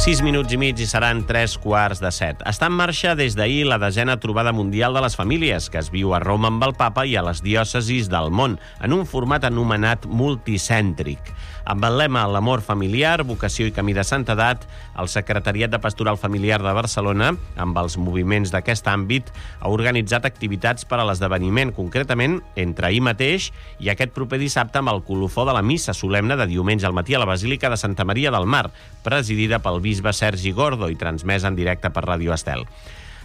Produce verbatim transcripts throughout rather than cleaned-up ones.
sis minuts i mig i seran tres quarts de set. Està en marxa des d'ahir la desena trobada mundial de les famílies, que es viu a Roma amb el papa i a les diòcesis del món, en un format anomenat multicèntric. Amb el lema L'amor familiar, vocació i camí de santedat, el Secretariat de Pastoral Familiar de Barcelona, amb els moviments d'aquest àmbit, ha organitzat activitats per a l'esdeveniment, concretament entre ahir mateix i aquest proper dissabte amb el colofó de la missa solemne de diumenge al matí a la Basílica de Santa Maria del Mar, presidida pel bisbe Sergi Gordo i transmesa en directe per Ràdio Estel.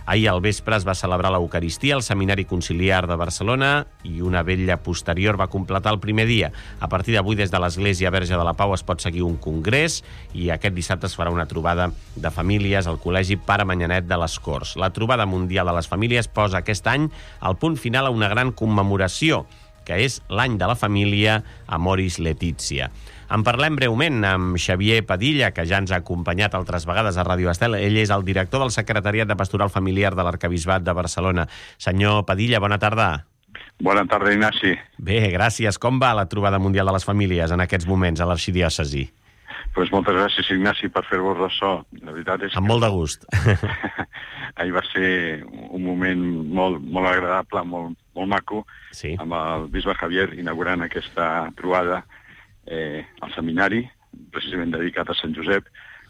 Ahir al vespre es va celebrar l'Eucaristia al Seminari Conciliar de Barcelona i una vetlla posterior va completar el primer dia. A partir d'avui, des de l'Església Verge de la Pau es pot seguir un congrés i aquest dissabte es farà una trobada de famílies al Col·legi Pare Manyanet de les Corts. La trobada mundial de les famílies posa aquest any el punt final a una gran commemoració, que és l'any de la família Amoris Laetitia. En parlem breument amb Xavier Padilla, que ja ens ha acompanyat altres vegades a Ràdio Estel. Ell és el director del Secretariat de Pastoral Familiar de l'Arquebisbat de Barcelona. Senyor Padilla, bona tarda. Bona tarda, Ignasi. Bé, gràcies. Com va la trobada mundial de les famílies en aquests moments a l'arxidiòcesi? Pues moltes gràcies, Ignasi, per fer-vos ressò. La veritat és amb que... molt de gust. Ahir va ser un moment molt, molt agradable, molt, molt maco, sí. Amb el bisbe Javier inaugurant aquesta trobada eh, al seminari, precisament dedicat a Sant Josep,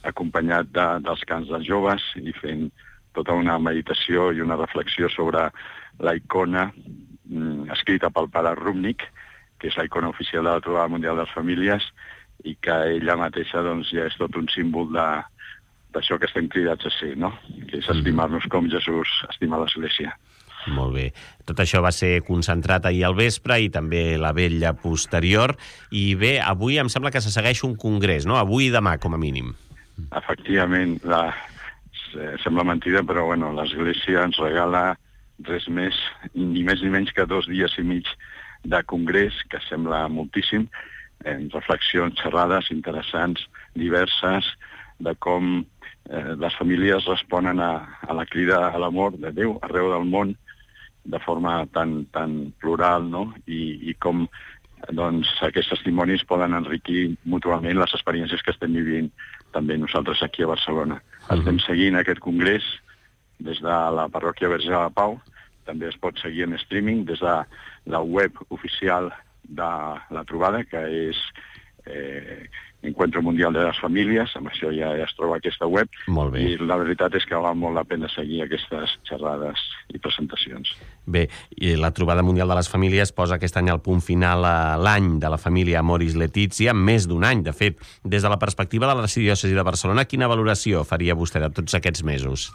acompanyat de, dels cants dels joves i fent tota una meditació i una reflexió sobre la icona mm, escrita pel pare Rúbnik, que és la icona oficial de la Trobada Mundial de les Famílies, i que ella mateixa doncs, ja és tot un símbol de, d'això que estem cridats a ser, no? Que és estimar-nos com Jesús estima l'Església. Molt bé. Tot això va ser concentrat ahir al vespre i també la vetlla posterior. I bé, avui em sembla que se segueix un congrés, no? Avui i demà, com a mínim. Efectivament, la... sembla mentida, però bueno, l'Església ens regala res més, ni més ni menys que dos dies i mig de congrés, que sembla moltíssim, en reflexions, xerrades interessants, diverses, de com eh, les famílies responen a, a la crida a l'amor de Déu arreu del món de forma tan, tan plural, no? I, i com doncs, aquests testimonis poden enriquir mútuament les experiències que estem vivint també nosaltres aquí a Barcelona. Uh-huh. Estem seguint aquest congrés des de la parròquia Verge de la Pau, també es pot seguir en streaming des de la web oficial de la trobada, que és eh, Encuentro Mundial de les Famílies, amb això ja, ja es troba aquesta web. Molt bé. I la veritat és que val molt la pena seguir aquestes xerrades i presentacions. Bé, i la Trobada Mundial de les Famílies posa aquest any al punt final a l'any de la família Amoris Laetitia, més d'un any, de fet. Des de la perspectiva de l'Arxidiòcesi de Barcelona, quina valoració faria vostè de tots aquests mesos?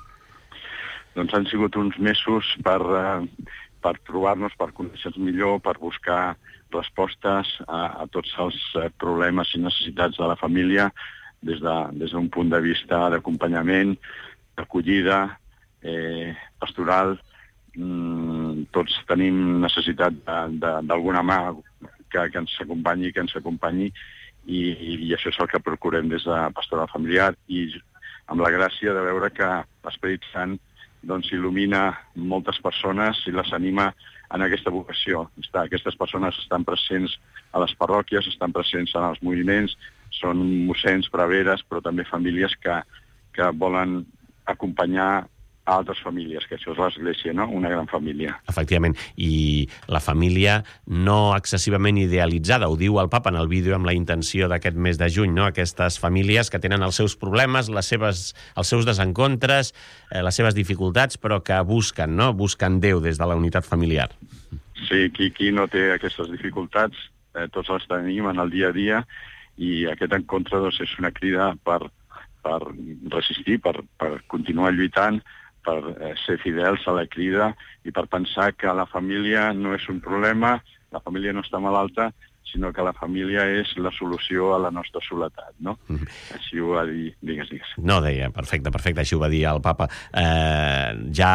Doncs han sigut uns mesos per, uh, per trobar-nos, per conèixer-nos millor, per buscar respostes a, a tots els uh, problemes i necessitats de la família des de, des d'un punt de vista d'acompanyament, d'acollida, eh, pastoral. Mm, tots tenim necessitat d'alguna mà que, que ens acompanyi, que ens acompanyi i, i això és el que procurem des de Pastoral Familiar i amb la gràcia de veure que l'Esperit Sant doncs il·lumina moltes persones i les anima en aquesta vocació. Aquestes persones estan presents a les parròquies, estan presents en els moviments, són mossens, preveres, però també famílies que, que volen acompanyar a altres famílies, que això és l'Església, no? Una gran família. Efectivament, i la família no excessivament idealitzada, ho diu el papa en el vídeo amb la intenció d'aquest mes de juny, no? Aquestes famílies que tenen els seus problemes, les seves, els seus desencontres, eh, les seves dificultats, però que busquen, no? Busquen Déu des de la unitat familiar. Sí, qui, qui no té aquestes dificultats, eh, tots les tenim en el dia a dia, i aquest encontre doncs, és una crida per, per resistir, per, per continuar lluitant, per eh, ser fidels a la crida i per pensar que la família no és un problema, la família no està malalta, sinó que la família és la solució a la nostra soledat, no? Mm. Així ho va dir, digues, digues. No, deia, perfecte, perfecte, així ho va dir el papa. Eh, ja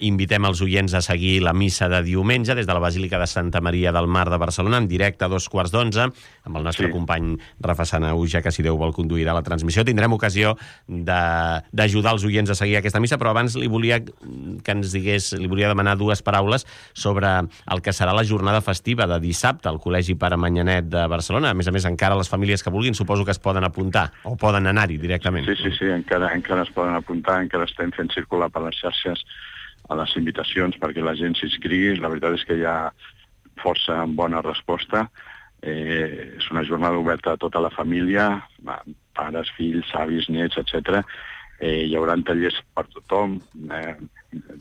invitem els oients a seguir la missa de diumenge des de la Basílica de Santa Maria del Mar de Barcelona, en directe a dos quarts d'onze, amb el nostre sí. company Rafa Sanauja, que si Déu vol conduirà la transmissió. Tindrem ocasió d'ajudar els oients a seguir aquesta missa, però abans li volia que ens digués, li volia demanar dues paraules sobre el que serà la jornada festiva de dissabte al Col·legi Pare Teatre Manyanet de Barcelona. A més a més, encara les famílies que vulguin suposo que es poden apuntar o poden anar-hi directament. Sí, sí, sí, encara, encara es poden apuntar, encara estem fent circular per les xarxes a les invitacions perquè la gent s'inscrigui. La veritat és que hi ha força bona resposta. Eh, és una jornada oberta a tota la família, pares, fills, avis, nets, etcètera. Eh, hi haurà tallers per tothom, eh,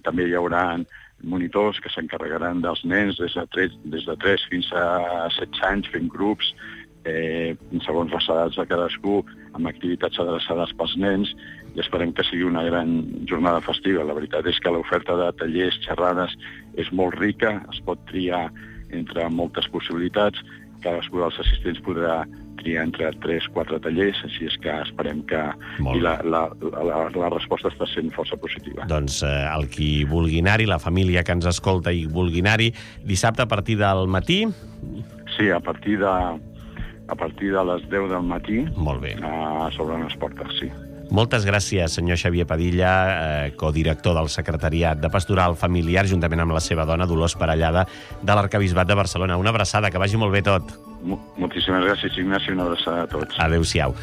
també hi haurà monitors que s'encarregaran dels nens des de tres, des de tres fins a setze anys fent grups, eh, segons les edats de cadascú, amb activitats adreçades pels nens, i esperem que sigui una gran jornada festiva. La veritat és que l'oferta de tallers, xerrades, és molt rica, es pot triar entre moltes possibilitats, cadascú dels assistents podrà triar entre tres o quatre tallers, així és que esperem que... I la, la, la, la resposta està sent força positiva. Doncs eh, el qui vulgui anar-hi, la família que ens escolta i vulgui anar-hi, dissabte a partir del matí? Sí, a partir de, a partir de les deu del matí. Molt bé. Uh, s'obren les portes, sí. Moltes gràcies, senyor Xavier Padilla, eh, codirector del Secretariat de Pastoral Familiar, juntament amb la seva dona, Dolors Parellada, de l'Arquebisbat de Barcelona. Una abraçada, que vagi molt bé tot. Moltíssimes gràcies, Ignasi, una abraçada a tots. Adéu-siau.